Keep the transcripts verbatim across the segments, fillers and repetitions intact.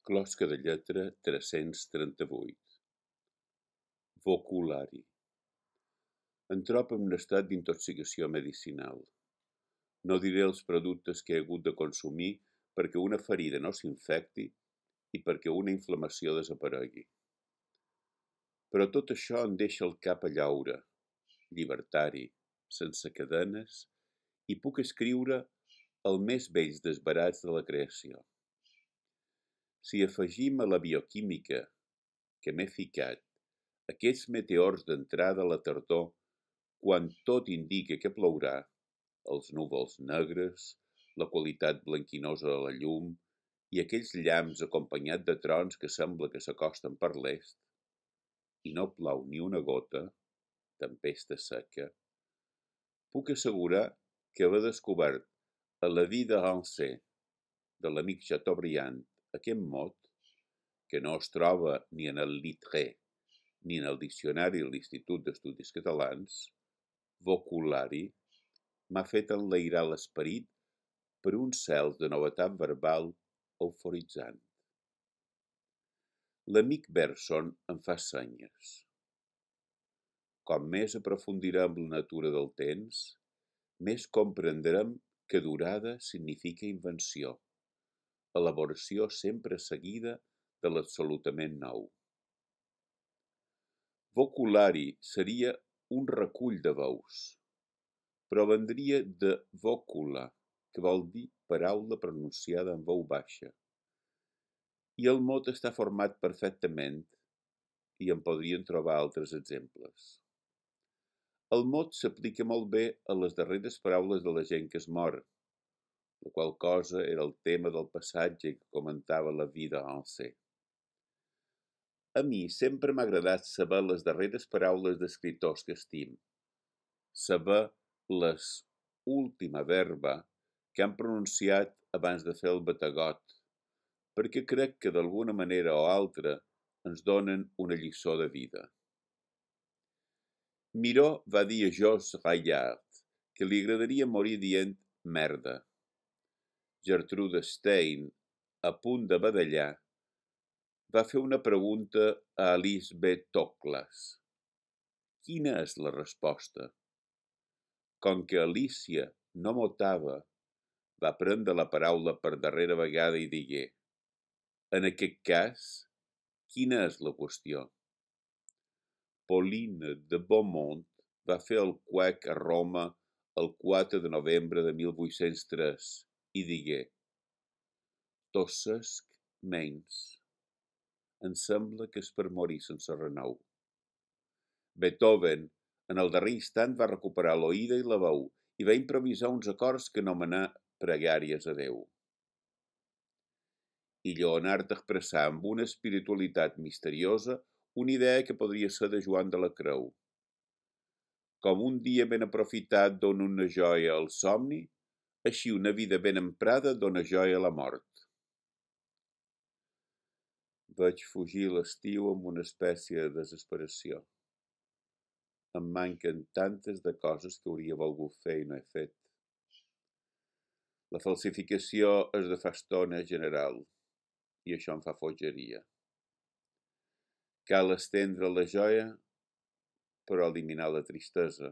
Closca de lletra tres-cents trenta-vuit. Voculari. Em trobo en un estat d'intoxicació medicinal. No diré els productes que he hagut de consumir perquè una ferida no s'infecti i perquè una inflamació desaparegui. Però tot això em deixa el cap a llaure, llibertari, sense cadenes, i puc escriure el més bells desbarats de la creació. Si afegim a la bioquímica que m'he ficat aquests meteors d'entrada a la tardor, quan tot indica que plourà, els núvols negres, la qualitat blanquinosa de la llum i aquells llamps acompanyats de trons que sembla que s'acosten per l'est, i no plou ni una gota, tempesta seca, puc assegurar que haver descobert a la vie de Rancé de l'amic Chateaubriand aquest mot, que no es troba ni en el Littré ni en el diccionari de l'Institut d'Estudis Catalans, voculari, m'ha fet enlairar l'esperit per un cel de novetat verbal euforitzant. L'amic Bergson em fa senyes. Com més aprofundirem la natura del temps, més comprendrem que durada significa invenció, elaboració sempre seguida de l'absolutament nou. Voculari seria un recull de veus, però vendria de vocula, que vol dir paraula pronunciada en veu baixa. I el mot està format perfectament, i en podrien trobar altres exemples. El mot s'aplica molt bé a les darreres paraules de la gent que es mor, la qual cosa era el tema del passatge que comentava la vie de Rancé. A mi sempre m'ha agradat saber les darreres paraules d'escriptors que estim, saber les última verba que han pronunciat abans de fer el bategot, perquè crec que d'alguna manera o altra ens donen una lliçó de vida. Miró va dir a Georges Rayard que li agradaria morir dient merda. Gertrude Stein, a punt de badallar, va fer una pregunta a Alice B. Toklas. Quina és la resposta? Com que Alicia no motava, va prendre la paraula per darrera vegada i digué: en aquest cas, quina és la qüestió? Pauline de Beaumont va fer el cuec a Roma el quatre de novembre de mil vuit-cents tres i digué: tossesc menys. Em sembla que és per morir sense renou. Beethoven, en el darrer instant, va recuperar l'oïda i la veu i va improvisar uns acords que anomenà pregàries a Déu. I Lleonard expressà amb una espiritualitat misteriosa una idea que podria ser de Joan de la Creu. Com un dia ben aprofitat dona una joia al somni, així una vida ben emprada dona joia a la mort. Vaig fugir l'estiu amb una espècie de desesperació. Em manquen tantes de coses que hauria volgut fer i no he fet. La falsificació és de fa estona general, i això em fa fogeria. Cal estendre la joia, però eliminar la tristesa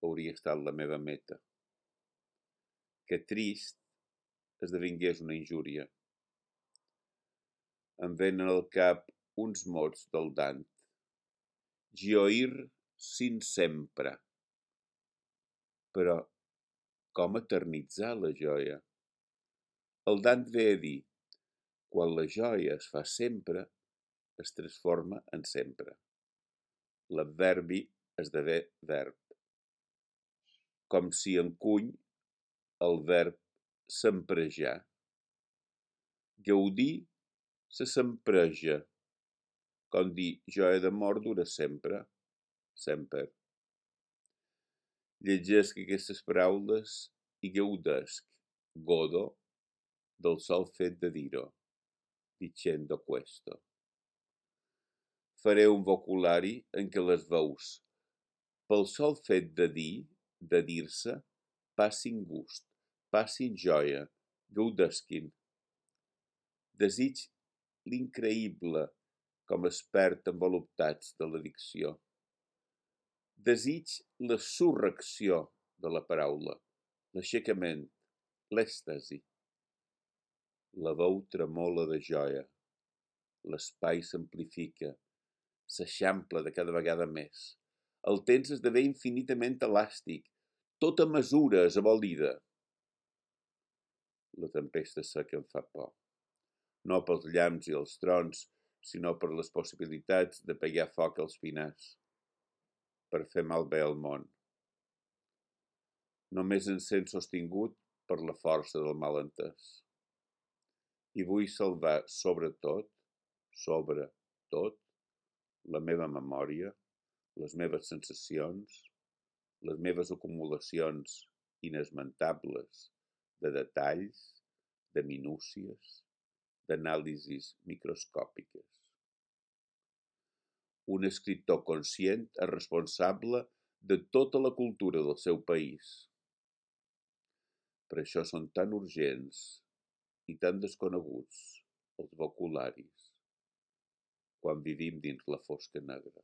hauria estat la meva meta. Que trist esdevingués una injúria. Em venen al cap uns mots del Dant. Gioir sin sempre. Però com eternitzar la joia? El Dant ve a dir, quan la joia es fa sempre, es transforma en sempre. L'adverbi esdevé verb. Com si encuny el verb semprejar. Gaudir se sempreja, com dir joia d'amor dura sempre, sempre. Llegesc aquestes paraules i gaudesc, godo, del sol fet de dir-ho, dicendo questo. Faré un vocabulari en què les veus, pel sol fet de dir, de dir-se, passin gust, passin joia, gaudesquin. Desig l'increïble com es perd en voluptats de l'addicció. Desig la surrecció de la paraula, l'aixecament, l'èxtasi. La veu tremola de joia, l'espai s'amplifica, s'eixampla de cada vegada més. El temps esdevé infinitament elàstic, tota mesura és abolida. La tempesta seca em fa por, no pels llamps i els trons, sinó per les possibilitats de pegar foc als pinars, per fer malbé el món. Només em sent sostingut per la força del malentès. I vull salvar sobretot, sobre tot, la meva memòria, les meves sensacions, les meves acumulacions inesmentables de detalls, de minúcies, d'anàlisis microscòpiques. Un escriptor conscient és responsable de tota la cultura del seu país. Per això són tan urgents i tan desconeguts els vocabularis quan vivim dins la fosca negra.